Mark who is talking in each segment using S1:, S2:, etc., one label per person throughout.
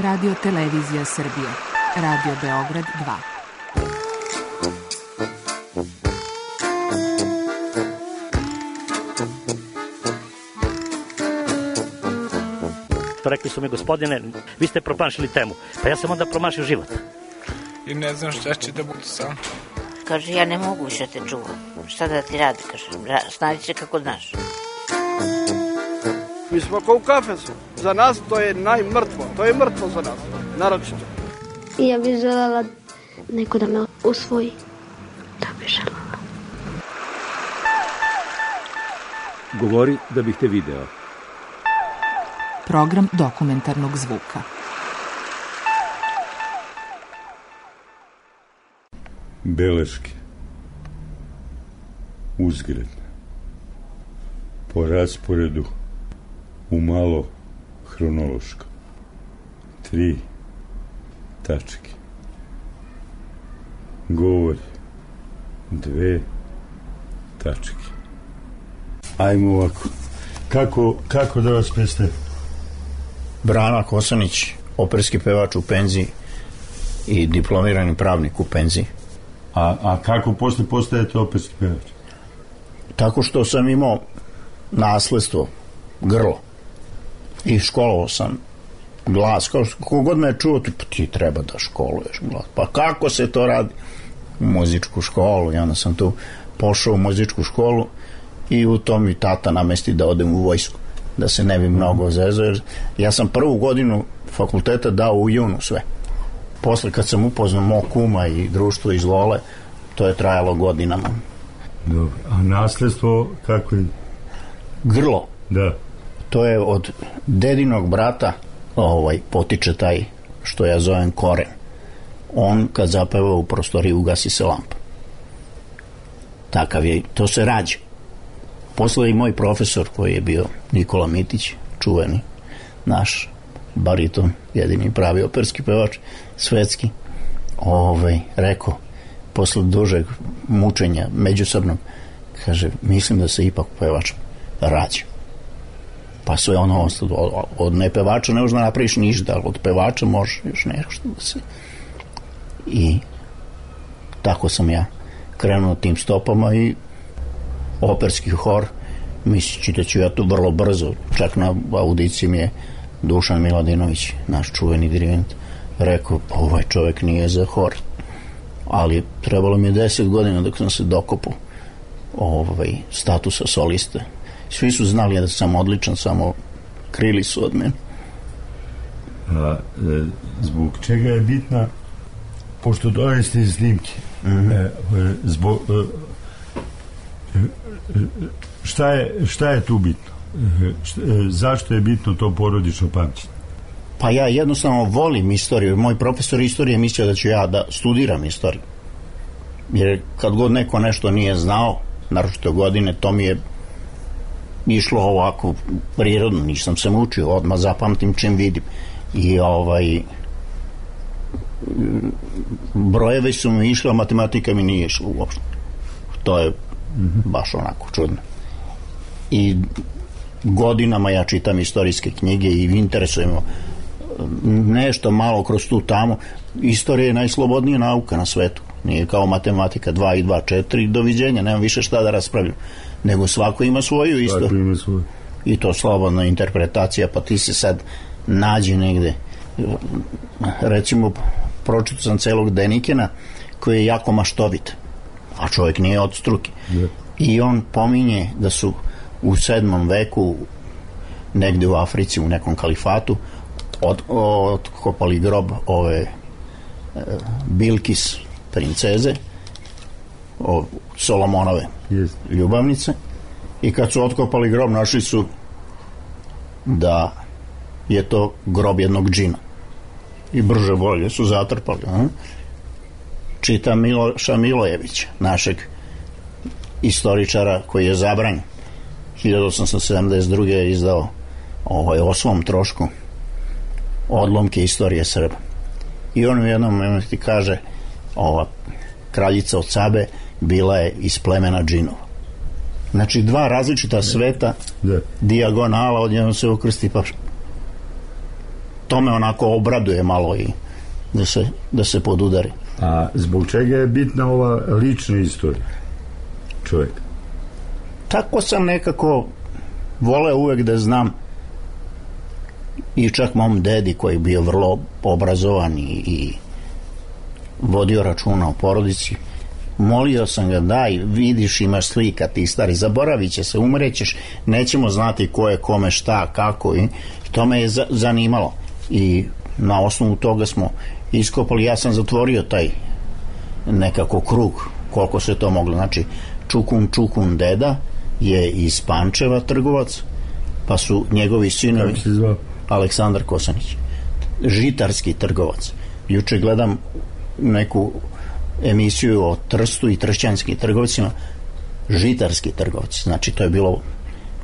S1: Radio Televizija Srbije. Radio Beograd 2.
S2: Rekli su mi, gospodine, vi ste promašili temu. Pa ja sam onda promašio život.
S3: I ne znam šta će da bude sam.
S4: Kaže, ja ne mogu više te čuvam. Šta da ti radi, kaže, snađi se kako znaš.
S5: Mi smo kao u kafesu. Za nas to je najmrtvo. To je mrtvo za nas, naročito.
S6: I ja bih želela neko da me usvoji. Da bih želela.
S7: Govori da bih te video.
S1: Program dokumentarnog zvuka.
S8: Beleške. Uzgredne. Po rasporedu umalo hronološko. 3 tačke. Govori 2 tačke. Ajmo ovako. Kako da vas predstavim?
S9: Brana Kosanić, operski pevač u penziji i diplomirani pravnik u penziji.
S8: A kako postajete operski pevač?
S9: Tako što sam imao nasledstvo, grlo. I školovao sam glas. Kogod me je čuo, ti treba da školuješ glas. Pa kako se to radi? U muzičku školu. I onda sam tu pošao u muzičku školu i u tom mi tata namesti da odem u vojsku. Da se ne bi mnogo zezao. Jer ja sam prvu godinu fakulteta dao u junu sve. Posle kad sam upoznao mog kuma i društvo iz Lole, to je trajalo godinama.
S8: Dobro. A nasledstvo kako je?
S9: Grlo.
S8: Da.
S9: To je od dedinog brata potiče taj što ja zovem koren. On kad zapeva u prostoriji ugasi se lampa. Takav je, to se rađa. Posle i moj profesor koji je bio Nikola Mitić, čuveni naš bariton, jedini pravi operski pevač, svetski, rekao, posle dužeg mučenja međusobnog, kaže, mislim da se ipak pevač rađa. Pa sve ono ostalo, od nepevača ne možda napraviš ništa, ali od pevača možeš još nešto da se... I tako sam ja krenuo tim stopama i operski hor, misleći da ću ja to vrlo brzo, čak na audiciji mi je Dušan Miladinović, naš čuveni dirigent, rekao, ovaj čovjek nije za hor, ali trebalo mi je 10 godina dok sam se dokopao statusa soliste. Svi su znali da sam odličan, samo krili su od mene.
S8: Zbog čega je bitna, pošto dojeste iz snimke, šta je tu bitno? Zašto je bitno to porodično pamćenje?
S9: Pa ja jednostavno volim istoriju. Moj profesor istorije mislio da ću ja da studiram istoriju. Jer kad god neko nešto nije znao, naročito godine, to mi je išlo ovako prirodno, nisam se mučio, odmah zapamtim čim vidim. I brojevi su mi išli, a matematika mi nije išla uopšte. To je baš onako čudno. I godinama ja čitam istorijske knjige i interesujemo nešto malo kroz tu tamo. Istorija je najslobodnija nauka na svetu. Nije kao matematika 2 i 2, 4, doviđenja, nemam više šta da raspravljam. Nego svako ima svoju istoriju. I to slobodna interpretacija, pa ti se sad nađi negde. Recimo, pročitao sam celog Denikena koji je jako maštovit, a čovjek nije od struke. I on pominje da su u 7. veku negde u Africi, u nekom kalifatu, otkopali grob ove Bilkis princeze, Solomonove ljubavnice, i kad su otkopali grob našli su da je to grob jednog džina i brže bolje su zatrpali. Čita Miloša Milojevića, našeg istoričara koji je zabranjen. 1872. je izdao o svom trošku odlomke istorije Srba. I on u jednom momentu kaže, ova kraljica od Sabe bila je iz plemena džinova. Znači, dva različita sveta, dijagonala, odjednom se ukrsti, pa to me onako obraduje malo i da se podudari.
S8: A zbog čega je bitna ova lična istorija čovjeka?
S9: Tako sam nekako voleo uvek da znam, i čak mom dedi koji je bio vrlo obrazovan i vodio računa o porodici, molio sam ga, daj, vidiš, imaš slika, ti stari, zaboravit će se, umrećeš, nećemo znati ko je kome, šta, kako, i to me je zanimalo i na osnovu toga smo iskopali. Ja sam zatvorio taj nekako krug koliko se to moglo. Znači Čukun deda je iz Pančeva trgovac, pa su njegovi sinovi Aleksandar Kosanić, žitarski trgovac. Juče gledam neku emisiju o Trstu i tršćanskim trgovcima, žitarski trgovci, znači to je bilo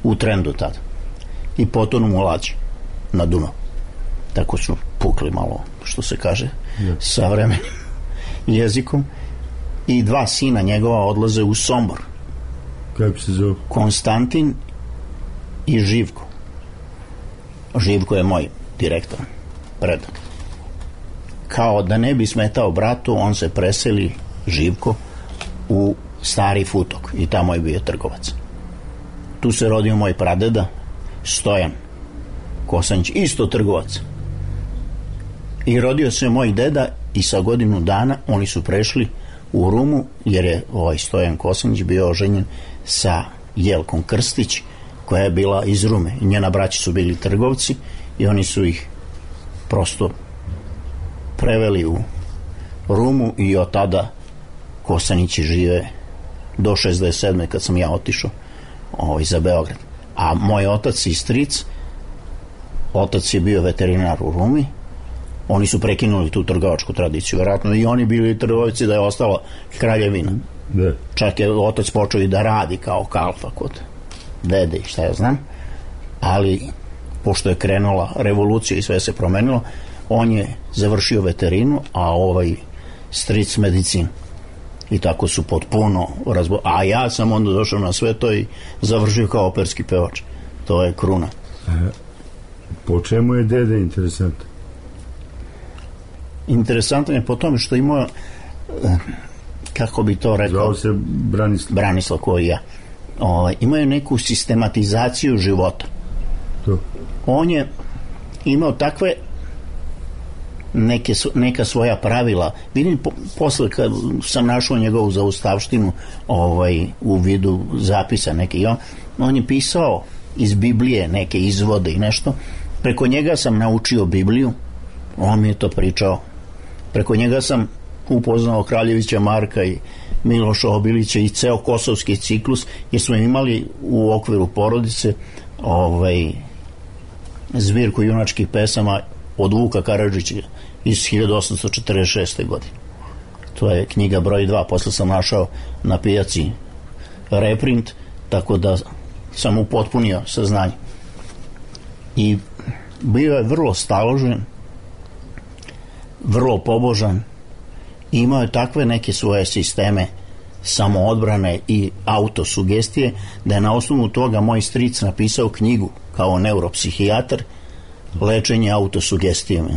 S9: u trendu tada, i potonu mu lađe na Dunav, tako su pukli malo, što se kaže savremenim jezikom, i dva sina njegova odlaze u Sombor.
S8: Kako se zove?
S9: Konstantin i Živko. Živko je moj direktor, predak. Kao da ne bi smetao bratu, on se preseli, Živko, u Stari Futok i tamo je bio trgovac. Tu se rodio moj pradeda Stojan Kosanić, isto trgovac, i rodio se moj deda, i sa godinu dana oni su prešli u Rumu, jer je ovaj Stojan Kosanić bio oženjen sa Jelkom Krstić, koja je bila iz Rume, i njena braća su bili trgovci i oni su ih prosto preveli u Rumu, i od tada Kosanići žive do 67. kad sam ja otišao za Beograd. A moj otac i stric, otac je bio veterinar u Rumi, oni su prekinuli tu trgovačku tradiciju, vjerojatno i oni bili trgovci da je ostala kraljevina. Čak je otac počeo i da radi kao kalfa kod dede i šta ja znam, ali pošto je krenula revolucija i sve se promenilo, on je završio veterinu, a ovaj stric medicinu, i tako su potpuno a ja sam onda došao na sve to i završio kao operski pevač. To je kruna.
S8: Po čemu je dede interesantan?
S9: Interesantan je po tome što imao, kako bi to rekao,
S8: zvao se
S9: Branislav koji ja, imao je neku sistematizaciju života. On je imao takve neka svoja pravila. Vidim, posle kad sam našao njegovu zaustavštinu u vidu zapisa neke, on je pisao iz Biblije neke izvode i nešto. Preko njega sam naučio Bibliju, on mi je to pričao. Preko njega sam upoznao Kraljevića Marka i Miloša Obilića i ceo kosovski ciklus, jer smo imali u okviru porodice zbirku junačkih pesama od Vuka Karadžića iz 1846. godine. To je knjiga broj 2, posle sam našao na pijaci reprint, tako da sam upotpunio saznanje. I bio je vrlo staložen, vrlo pobožan, i imao je takve neke svoje sisteme samoodbrane i autosugestije, da je na osnovu toga moj stric napisao knjigu kao neuropsihijatar, lečenje autosugestijom.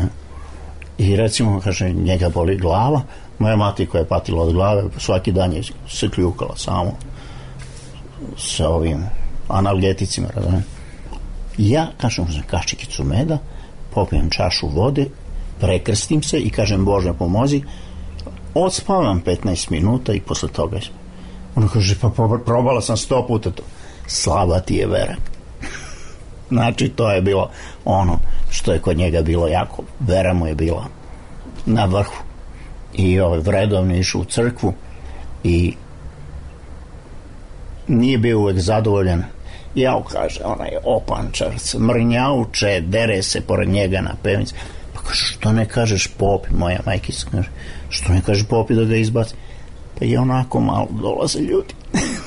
S9: I recimo, kaže, njega boli glava, moja mati koja je patila od glave, svaki dan je se kljukala samo sa ovim analgeticima, razumijem. Ja, kažem, uzem kašikicu meda, popijem čašu vode, prekrstim se i kažem, Bože pomozi, odspavam 15 minuta i posle toga ono kaže, pa probala sam 100 puta to. Slaba ti je vera. Znači, to je bilo ono što je kod njega bilo jako, vera mu je bila na vrhu. I vredovno išao u crkvu i nije bio uvek zadovoljan. Jao, kaže, onaj opančarac, mrnjauče, dere se pored njega na pevnici. Pa kaže, što ne kažeš popi, moja majkica kaže, što ne kažeš popi da ga izbaci? Pa je onako malo dolaze ljudi.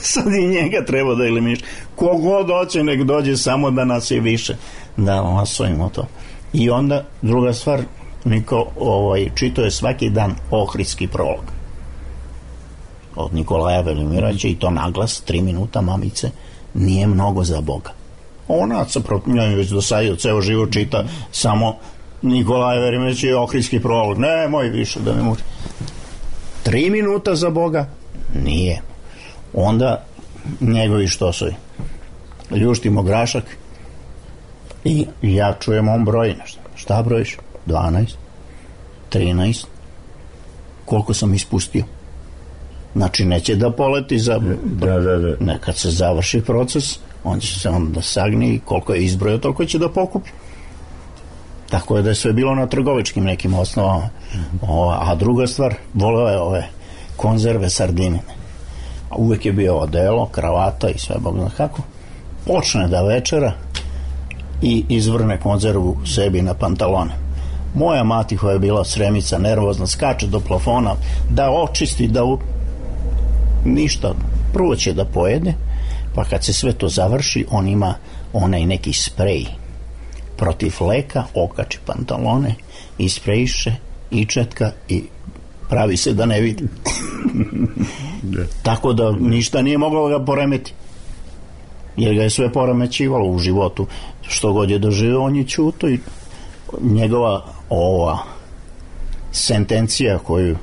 S9: Sad i njega treba da eliminiš. Kogod hoće, nek dođe, samo da nas je više. Da masujemo to. I onda, druga stvar, Niko čitao je svaki dan Ohridski prolog od Nikolaja Velimirovića, i to naglas, 3 minuta, mamice, nije mnogo za Boga. Ona se protiv već dosadio, ceo život čita samo Nikolaj Verimeć je Ohridski prolog. Nemoj više da me muči. 3 minuta za Boga? Nije. Onda njegovi štosovi. Ljuštimo grašak i ja čujem on broji nešto. Šta brojiš? 12, 13. Koliko sam ispustio? Znači neće da poleti za...
S8: Da.
S9: Kad se završi proces, on će se onda sagni i koliko je izbrojio, toliko će da pokupi. Tako je da je sve bilo na trgovačkim nekim osnovama. A druga stvar, voleo je ove konzerve sardine. Uvek je bio odelo, kravata i sve, bog zna kako. Počne da večera i izvrne konzervu sebi na pantalone. Moja mati koja je bila sremica, nervozna, skače do plafona da očisti, da ništa, prvo će da pojede, pa kad se sve to završi, on ima onaj neki sprej protiv fleka, okači pantalone, isprejiše, ičetka i pravi se da ne vidi. Tako da ništa nije moglo ga poremeti. Jer ga je sve poremećivalo u životu. Što god je doživio, on je ćuto i njegova ova sentencija koju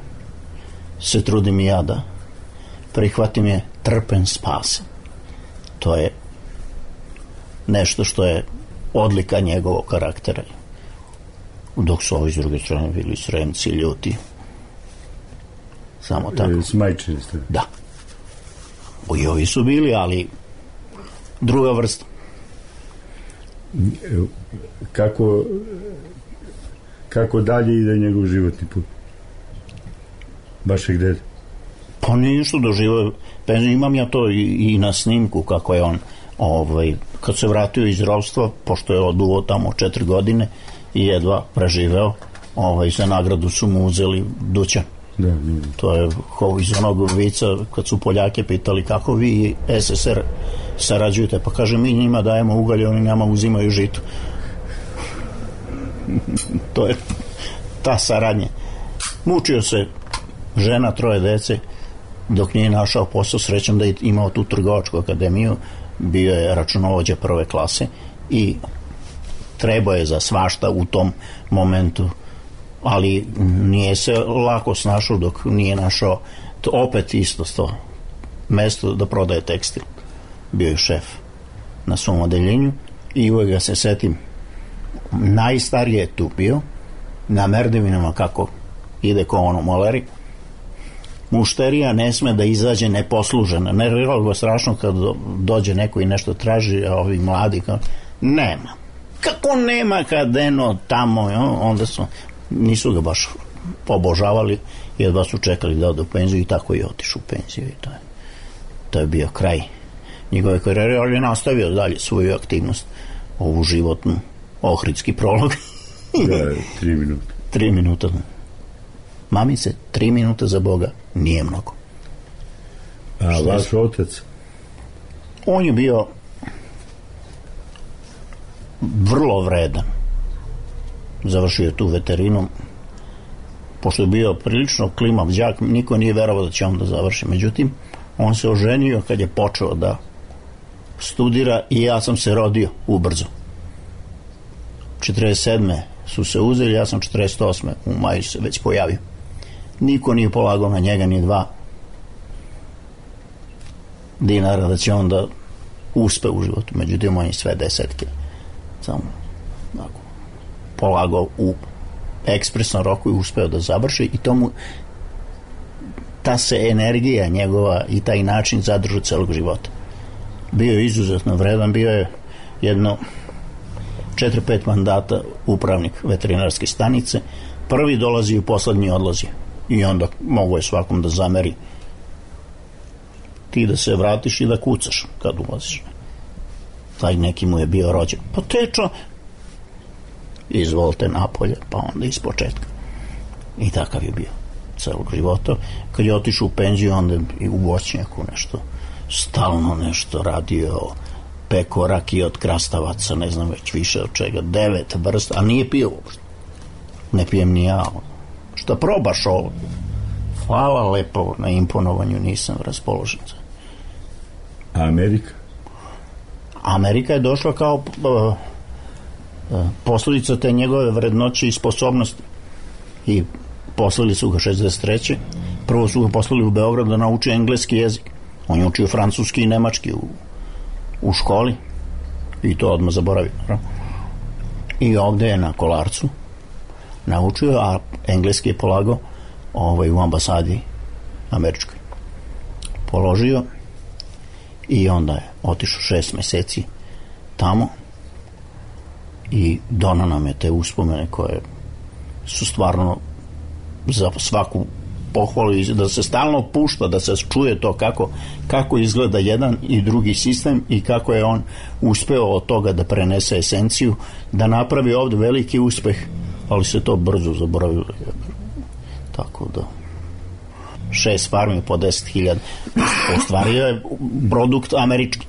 S9: se trudim i ja da prihvatim je trpen spasen. To je nešto što je odlika njegovog karaktera. Dok su ovi s druge strane bili sremci, ljuti. Samo tako.
S8: Smajčili ste.
S9: Da. I ovi su bili, ali druga vrsta.
S8: Kako dalje ide njegov životni put? Vašeg dede?
S9: Pa nije što doživio. Imam ja to i na snimku kako je on kad se vratio iz ropstva, pošto je oduo tamo 4 godine i jedva preživeo, za nagradu su mu uzeli dućan.
S8: Da.
S9: To je iz onog vica kad su Poljake pitali kako vi i SSR sarađujete, pa kaže mi njima dajemo ugalj, oni nama uzimaju žito. To je ta saradnja. Mučio se, žena, 3 dece, dok nije našao posao. Srećom da je imao tu trgovačku akademiju, bio je računovođa 1. klase i trebao je za svašta u tom momentu, ali nije se lako snašao dok nije našao opet isto to mesto da prodaje tekstil. Bio je šef na svom odeljenju i uvek ga se setim. Najstariji je tu bio, na merdevinama kako ide ko ono moleri. Mušterija ne sme da izađe neposlužena. Nerviralo ga strašno kad dođe neko i nešto traži, a ovi mladi kao, nema. Kako nema kad eno tamo, onda nisu ga baš obožavali, jedva su čekali da ode u penziju i tako je otišao u penziju i to je bio kraj njegove karijere, ali je nastavio dalje svoju aktivnost, ovu životnu, Ohridski prolog.
S8: Da, 3 minuta.
S9: 3 minuta. Mamice, 3 minuta za Boga nije mnogo.
S8: A vaš otac?
S9: On je bio vrlo vredan. Završio je tu veterinu. Pošto je bio prilično klimav đak, niko nije verovao da će on da završi. Međutim, on se oženio kad je počeo da studira i ja sam se rodio ubrzo. 47. su se uzeli, ja sam 48. u maju se već pojavio. Niko nije polagao na njega ni 2 dinara da će on da uspe u životu. Međutim, on je sve 10. Samo polagao u ekspresnom roku i uspeo da završi i tomu ta se energija njegova i taj način zadržao celog života. Bio je izuzetno vredan, bio je jedno 4-5 mandata upravnik veterinarske stanice. Prvi dolazi i poslednji odlazi. I onda mogu je svakom da zameri. Ti da se vratiš i da kucaš kad ulaziš. Taj neki mu je bio rođen. Pa tečo, izvolite napolje, pa onda iz početka. I takav je bio celog života. Kad je otišao u penziju, onda i u voćnjaku nešto, stalno nešto radio, peko rakije od krastavaca, ne znam već više od čega, 9 vrsta, a nije pio uopšte. Ne pijem ni ja. Šta probaš ovo? Hvala lepo na imponovanju, nisam raspoložen.
S8: A Amerika?
S9: Amerika je došla kao Posljedica te njegove vrednoće i sposobnosti. I poslali su ga 63. Prvo su ga poslali u Beograd da nauči engleski jezik. On je učio francuski i nemački u školi i to odmah zaboravio. I ovde je na Kolarcu naučio, a engleski je polagao u ambasadi američkoj. Položio i onda je otišao 6 meseci tamo i donao nam je te uspomene koje su stvarno za svaku pohvalu i da se stalno pušta, da se čuje to kako izgleda jedan i drugi sistem i kako je on uspeo od toga da prenese esenciju, da napravi ovde veliki uspeh, ali se to brzo zaboravilo. Tako da 6 farmi po 10.000 ostvario je produkt američki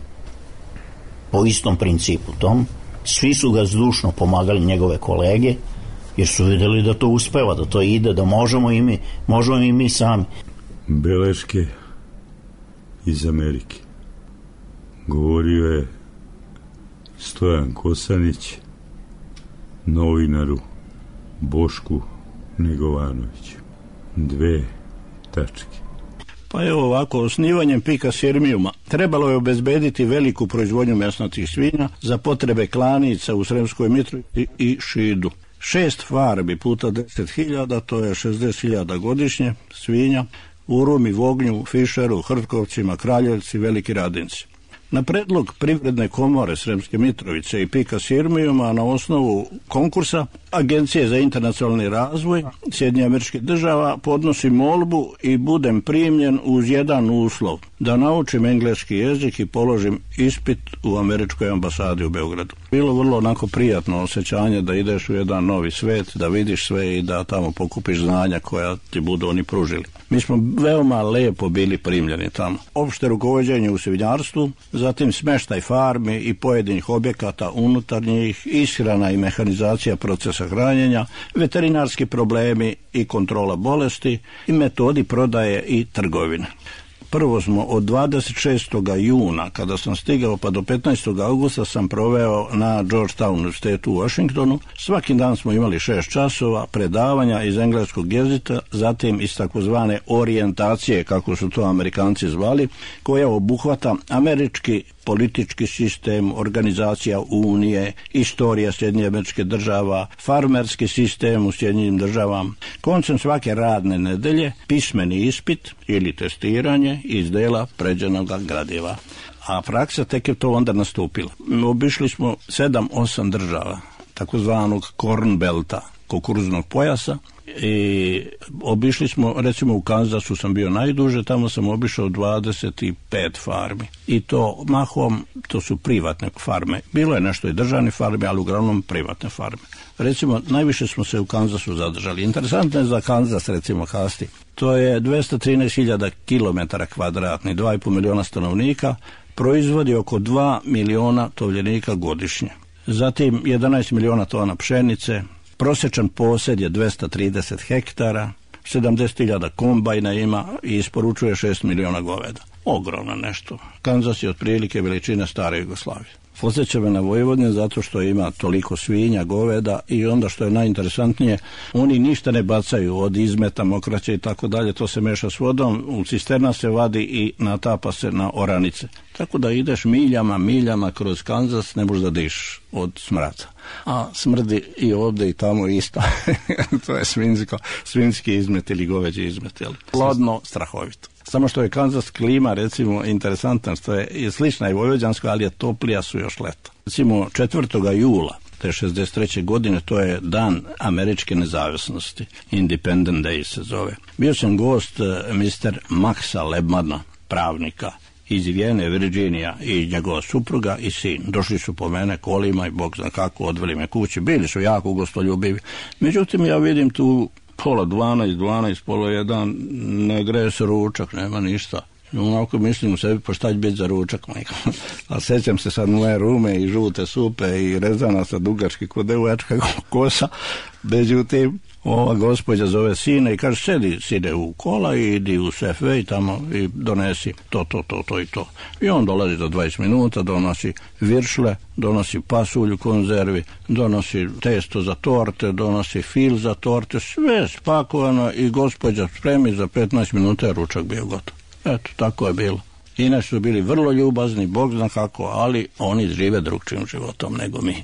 S9: po istom principu tom. Svi su ga zdušno pomagali, njegove kolege, jer su videli da to uspeva, da to ide, da možemo i mi sami.
S8: Beleške iz Amerike. Govorio je Stojan Kosanić novinaru Bošku Negovanoviću. 2 tačke.
S10: Pa evo ovako, osnivanjem PIK-a Sirmijuma trebalo je obezbediti veliku proizvodnju mesnatih svinja za potrebe klanica u Sremskoj Mitrovici i Šidu. 6 farmi puta 10.000, to je 60.000 godišnje svinja, u Rumi, Vognju, Fišeru, Hrtkovcima, Kraljevci, Veliki Radinci. Na predlog Privredne komore Sremske Mitrovice i PIK-a Sirmijuma na osnovu konkursa Agencije za internacionalni razvoj Sjedinjenih Američkih Država podnosi molbu i budem primljen uz jedan uslov, da naučim engleski jezik i položim ispit u američkoj ambasadi u Beogradu. Bilo vrlo onako prijatno osjećanje da ideš u jedan novi svet, da vidiš sve i da tamo pokupiš znanja koja ti budu oni pružili. Mi smo veoma lepo bili primljeni tamo. Opšte rukovođenje u svinjarstvu, zatim smeštaj farmi i pojedinih objekata unutar njih, ishrana i mehanizacija procesa hranjenja, veterinarski problemi i kontrola bolesti i metodi prodaje i trgovine. Prvo smo od 26. juna, kada sam stigao, pa do 15. augusta sam proveo na Georgetown univerzitetu u Washingtonu. Svaki dan smo imali 6 časova predavanja iz engleskog jezika, zatim iz takozvane orijentacije, kako su to Amerikanci zvali, koja obuhvata američki politički sistem, organizacija Unije, istorija Sjedinjenih Američkih Država, farmerski sistem u Sjedinjenim Državama. Koncem svake radne nedelje pismeni ispit ili testiranje iz dela pređenog gradiva. A praksa tek je to onda nastupila. Obišli smo 7-8 država, takozvanog Corn Belta, kukuruznog pojasa, i obišli smo, recimo u Kanzasu sam bio najduže, tamo sam obišao 25 farmi i to mahom, to su privatne farme. Bilo je nešto i državne farme, ali uglavnom privatne farme. Recimo, najviše smo se u Kanzasu zadržali. Interesantno je za Kanzas, recimo Hasti. To je 213.000 km kvadratni, 2,5 miliona stanovnika, proizvodi oko 2 miliona tovljenika godišnje. Zatim 11 miliona tona pšenice, prosječan posjed je 230 hektara, 70.000 kombajna ima i isporučuje 6 miliona goveda. Ogromno nešto. Kanzas je otprilike veličine stare Jugoslavije. Podsjeća me na Vojvodinu zato što ima toliko svinja, goveda i onda što je najinteresantnije, oni ništa ne bacaju od izmeta, mokraće i tako dalje, to se meša s vodom, u cisterna se vadi i natapa se na oranice. Tako da ideš miljama kroz Kanzas, ne možeš da diš od smrada. A smrdi i ovde i tamo isto. To je svinjski izmet ili goveđi izmet. Plodno, strahovito. Samo što je Kanzas klima, recimo, interesantna, što je slična i vojvođanska, ali je toplija su još leta. Recimo, 4. jula te 63. godine, to je dan američke nezavisnosti. Independent Day se zove. Bio sam gost Mr. Maxa Lebmana, pravnika iz Vijene, Virginija, i njegova supruga i sin. Došli su po mene kolima i Bog zna kako, odveli me kući. Bili su jako gostoljubivi. Međutim, ja vidim tu 11:30, pola 1, ne greje se ručak, nema ništa. Onako mislim u sebi, pa šta će biti za ručak, majka. A sećam se sad moje rume i žute supe i rezana sa dugački kod devojačka kosa, Međutim, ova gospođa zove sine i kaže, sedi sine u kola i idi u Safeway i tamo i donesi to i to. I on dolazi za 20 minuta, donosi viršle, donosi pasulj u konzervi, donosi testo za torte, donosi fil za torte, sve spakovano i gospođa spremi za 15 minuta je ručak bio gotov. Eto, tako je bilo. Inače su bili vrlo ljubazni, Bog zna kako, ali oni žive drugčijim životom nego mi.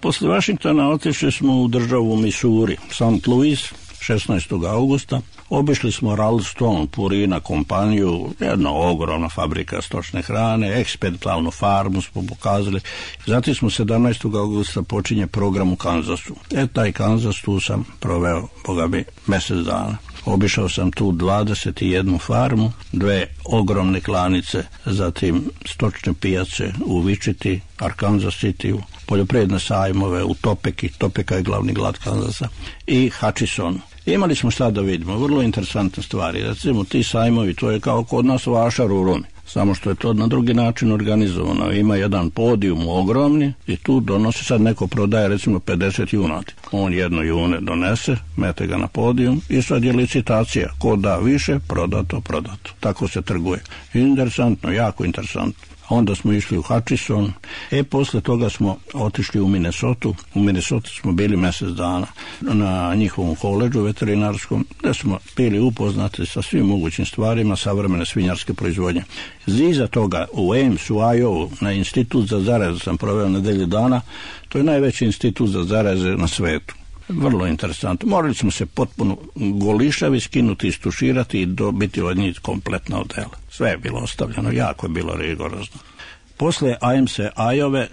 S10: Posle Vašingtona otišli smo u državu Missouri, St. Louis, 16. augusta. Obišli smo Ralston, Purina kompaniju, jedna ogromna fabrika stočne hrane, eksperimentalnu farmu smo pokazali. Zatim smo 17. augusta počinje program u Kanzasu. Taj Kanzas, tu sam proveo, Boga bi, mjesec dana. Obišao sam tu 21 farmu, 2 ogromne klanice, zatim stočne pijace u Wichita, Arkansas City, poljoprivredne sajmove u Topeki, Topeka je glavni grad Kanzasa, i Hutchinson. Imali smo šta da vidimo, vrlo interesantne stvari. Recimo, ti sajmovi, to je kao kod nas vašar u Rumi, samo što je to na drugi način organizovano. Ima jedan podijum ogromni i tu donosi, sad neko prodaje recimo 50 junati. On jedno june donese, mete ga na podijum i sad je licitacija. Ko da više, prodato. Tako se trguje. Interesantno, jako interesantno. Onda smo išli u Hutchinson, posle toga smo otišli u Minnesota. U Minnesota smo bili mjesec dana na njihovom koledžu veterinarskom, gde smo bili upoznati sa svim mogućim stvarima savremene svinjarske proizvodnje. Iza toga u Ames, u Iowa, na institut za zaraze sam proveo nedelju dana. To je najveći institut za zaraze na svetu. Vrlo interesantno. Morali smo se potpuno golišavi skinuti, istuširati i dobiti od njih kompletna odela. Sve je bilo ostavljeno, jako je bilo rigorozno. Posle Aimse Ajove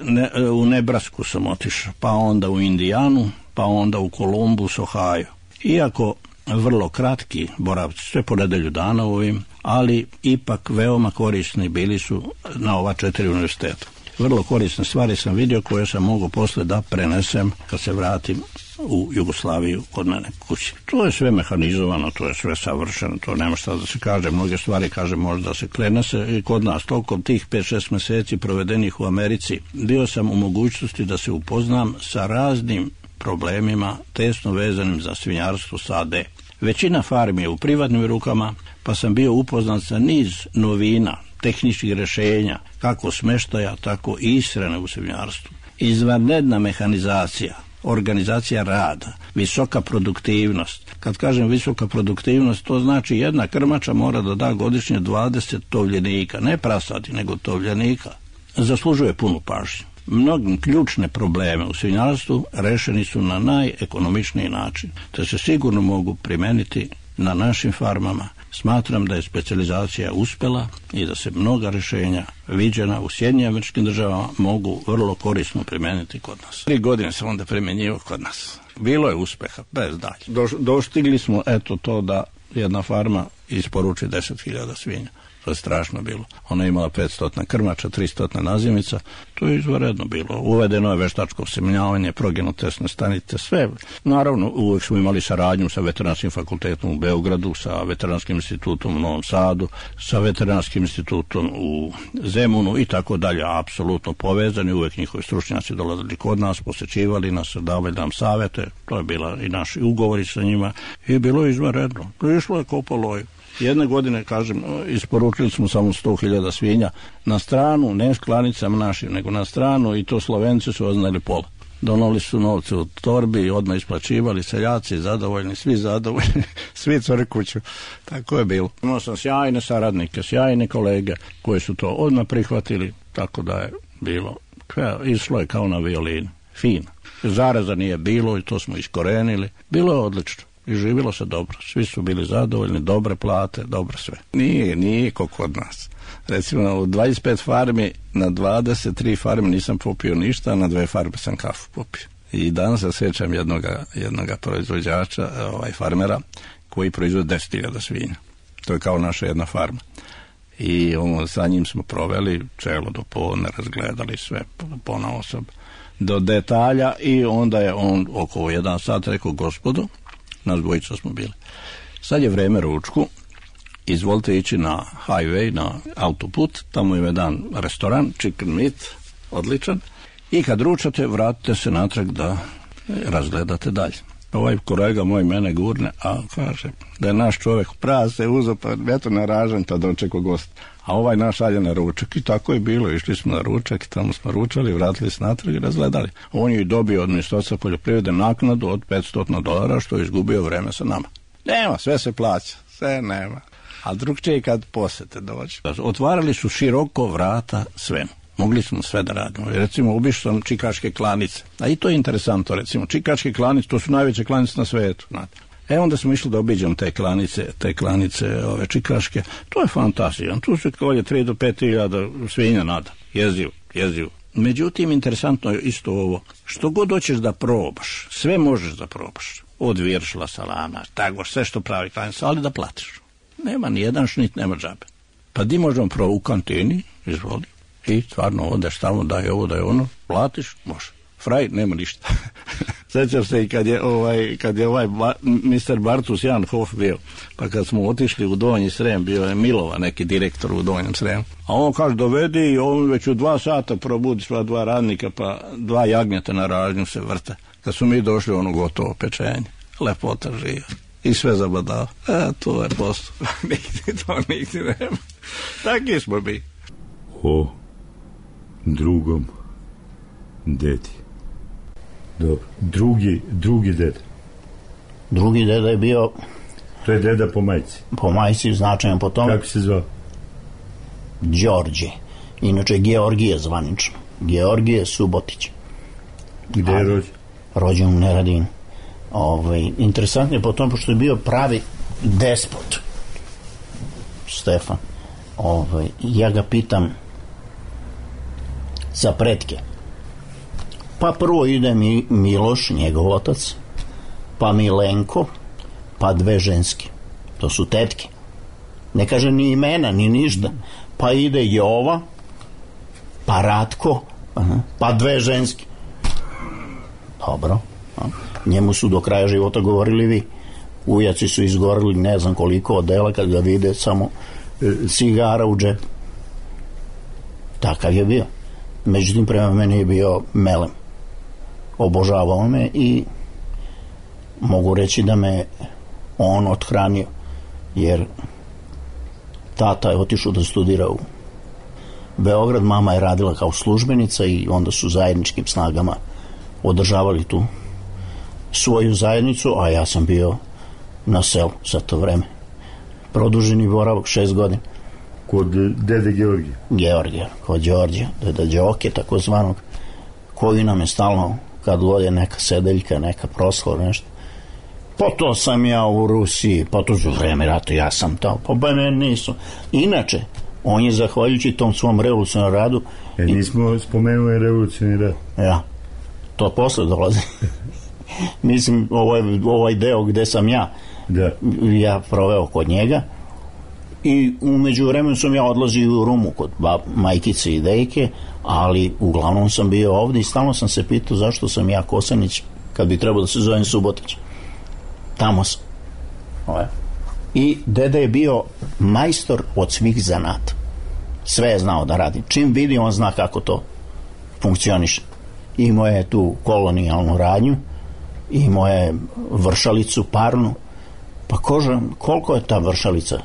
S10: u Nebrasku sam otišao, pa onda u Indijanu, pa onda u Columbus, Ohio. Iako vrlo kratki boravci, sve po nedelju dana ovim, ali ipak veoma korisni bili su na ova 4 univerziteta. Vrlo korisne stvari sam vidio koje sam mogao posle da prenesem kad se vratim u Jugoslaviju kod mene kući. To je sve mehanizovano, to je sve savršeno, to nema šta da se kaže, mnoge stvari kaže možda se krene se i kod nas. Tokom tih 5-6 meseci provedenih u Americi bio sam u mogućnosti da se upoznam sa raznim problemima tesno vezanim za svinjarstvo sade. Većina farmi je u privatnim rukama, pa sam bio upoznat sa niz novina, tehničkih rješenja, kako smeštaja, tako i ishrane u svinjarstvu. Izvanredna mehanizacija, organizacija rada, visoka produktivnost. Kad kažem visoka produktivnost, to znači jedna krmača mora da da godišnje 20 tovljenika, ne prasadi, nego tovljenika. Zaslužuje punu pažnju. Mnogi ključne probleme u svinjarstvu rešeni su na najekonomičniji način, te se sigurno mogu primeniti na našim farmama. Smatram da je specijalizacija uspela i da se mnoga rješenja viđena u Sjedinjenim Američkim Državama mogu vrlo korisno primeniti kod nas. 3 godine sam onda primenjivao kod nas. Bilo je uspeha, bez dalje. Dostigli smo to da jedna farma isporuči 10.000 svinja. To je strašno bilo. Ona je imala 500 krmača, 300 nazimica. To je izvanredno bilo. Uvedeno je veštačko osemenjavanje, progenotesne stanice, sve. Naravno, uvijek smo imali saradnju sa Veterinarskim fakultetom u Beogradu, sa Veterinarskim institutom u Novom Sadu, sa Veterinarskim institutom u Zemunu i tako dalje. Apsolutno povezani, uvijek njihovi stručnjaci dolazili kod nas, posećivali nas, davali nam savete. To je bila i naši ugovori sa njima i bilo je izvanredno. Išlo je ko po loju. Jedne godine, kažem, isporučili smo samo 100.000 svinja na stranu, ne s klanicama našim, nego na stranu, i to Slovenci su oznali pola. Donali su novce u torbi i odmah isplaćivali, seljaci zadovoljni, svi zadovoljni, svi crkuću. Tako je bilo. Imao sam sjajne saradnike, sjajne kolege koji su to odmah prihvatili, tako da je bilo, išlo je kao na violini, fino. Zaraza nije bilo i to smo iskorenili, bilo je odlično. I živjelo se dobro, svi su bili zadovoljni, dobre plate, dobro sve. Nije ko kod nas. Recimo, u 25 farmi, na 23 farmi nisam popio ništa, a na 2 farme sam kafu popio. I danas se sjećam jednoga proizvođača, farmera, koji proizvode 10.000 svinja. To je kao naša jedna farma. I sa njim smo proveli čelo do podne, razgledali sve ponaosob do detalja, i onda je on oko 1 sat rekao: gospodo, nas dvojica smo bili, sad je vreme ručku, izvolite ići na highway, na autoput, tamo je jedan restoran, chicken meat, odličan, i kad ručate, vratite se natrag da razgledate dalje. ovaj kolega moj mene gurne, a kaže da je naš čovjek prase uzo, pa eto na ražanj, pa dočekao gost. A ovaj naš šalje na ručak i tako je bilo. Išli smo na ručak i tamo smo ručali, vratili se natrag i razgledali. On je dobio od Ministarstva poljoprivrede naknadu od $500 što je izgubio vreme sa nama. Nema, sve se plaća, sve nema. A drugčije kad posete dođe. Otvarali su široko vrata svemu. Mogli smo sve da radimo. Recimo, obišao sam čikaške klanice. A i to je interesantno, recimo. Čikaške klanice, to su najveće klanice na svetu, znate. Onda smo išli da obiđemo te klanice ove čikaške. To je fantazija. Tu se kolje 3 do 5 hiljada svinja nada. Jezivo. Međutim, interesantno je isto ovo. Što god hoćeš da probaš, sve možeš da probaš. Od viršla, salama, tako, sve što pravi klanica, ali da platiš. Nema ni jedan šnit, nema džabe. Pa di možemo u kantini, izvoli. I stvarno odeš tamo, daj ovo, daj ono, platiš, može. Fraj, nema ništa. Sjećam se i kad je ovaj Mr. Bartus Jan Hof bio, pa kad smo otišli u Donji Srem, bio je Milova, neki direktor u Donjem Sremu, a on kaže dovedi i on već u 2 sata probudi sva 2 radnika, pa 2 jagnjeta na ražnju se vrte. Kad su mi došli, ono gotovo pečenje, lepota živa i sve zabadao. To je posao. Nigdje nema. Taki smo mi.
S8: O drugom dedi. Dobro. Drugi deda.
S9: Drugi deda je bio...
S8: To je deda po majci.
S9: Po majci, značajan po tome.
S8: Kako se zvao?
S9: Đorđe. Inače, Georgije zvanično. Georgije Subotić.
S8: Gde je rođen?
S9: Rođen u Neradinu. Interesantno je po tome, pošto je bio pravi despot. Stefan. Ja ga pitam za pretke. Pa prvo ide Miloš, njegov otac, pa Milenko, pa 2 ženske. To su tetke. Ne kaže ni imena, ni ništa. Pa ide Jova, pa Ratko, pa 2 ženske. Dobro. Njemu su do kraja života govorili vi. Ujaci su izgorili ne znam koliko odela kad ga vide samo cigara u džepu. Takav je bio. Međutim, prema meni je bio melem. Obožavao me i mogu reći da me on othranio, jer tata je otišao da studira u Beograd, mama je radila kao službenica i onda su zajedničkim snagama održavali tu svoju zajednicu, a ja sam bio na selu za to vreme. Produženi boravak 6 godina.
S8: Kod dede Georgija?
S9: Kod Đorđa, deda Đoke, takozvanog, koji nam je stalno, kad god je neka sedeljka, neka proslava, nešto. Pa to sam ja u Rusiji, pa to za vreme rata ja sam tamo, pa ne nisu. Inače, on je zahvaljujući tom svom revolucionarnom radu...
S8: Nismo spomenuli revolucionarni rad.
S9: Ja, to posle dolazi. Mislim, ovaj deo gde sam ja proveo kod njega, i umeđu vremenu sam ja odlazio u Rumu kod majkice i dejke, ali uglavnom sam bio ovdje i stalno sam se pitao zašto sam ja Kosanić kad bi trebao da se zovem Subotić. Tamo sam. I deda je bio majstor od svih zanata. Sve je znao da radi. Čim vidi, on zna kako to funkcioniše. Imao je tu kolonijalnu radnju, imao je vršalicu parnu. Pa koliko je ta vršalica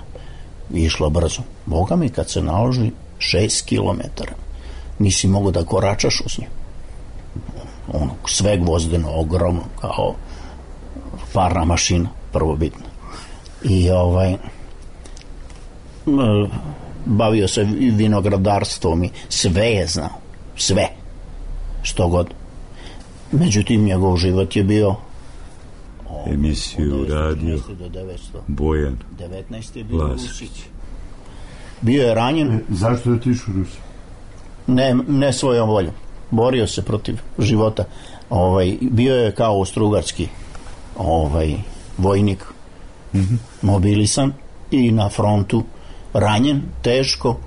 S9: išla brzo? Boga mi, kad se naloži 6 kilometara, nisi mogo da koračaš uz nju. Sve gvozdeno, ogromno, kao parna mašina, prvobitna. I bavio se vinogradarstvom i sve je znao. Sve. Što god. Međutim, njegov život je bio
S8: emisiju radio Bojan Vlasić.
S9: Bio je ranjen.
S8: Zašto je otišao u Rusiju?
S9: Ne svojom voljom. Borio se protiv života. Bio je kao austrougarski vojnik, mobilisan i na frontu ranjen, teško,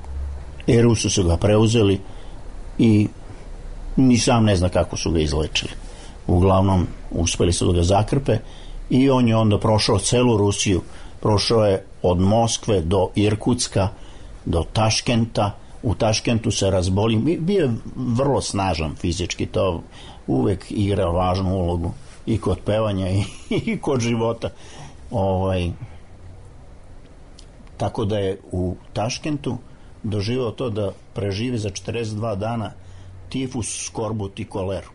S9: i Rusi su ga preuzeli i ni sam ne zna kako su ga izlečili. Uglavnom, uspeli su da ga zakrpe i on je onda prošao celu Rusiju. Prošao je od Moskve do Irkutska, do Taškenta. U Taškentu se razboli. Bio je vrlo snažan fizički, to uvek igra važnu ulogu i kod pevanja i kod života. Tako da je u Taškentu doživao to da preživi za 42 dana tifus, skorbut i koleru.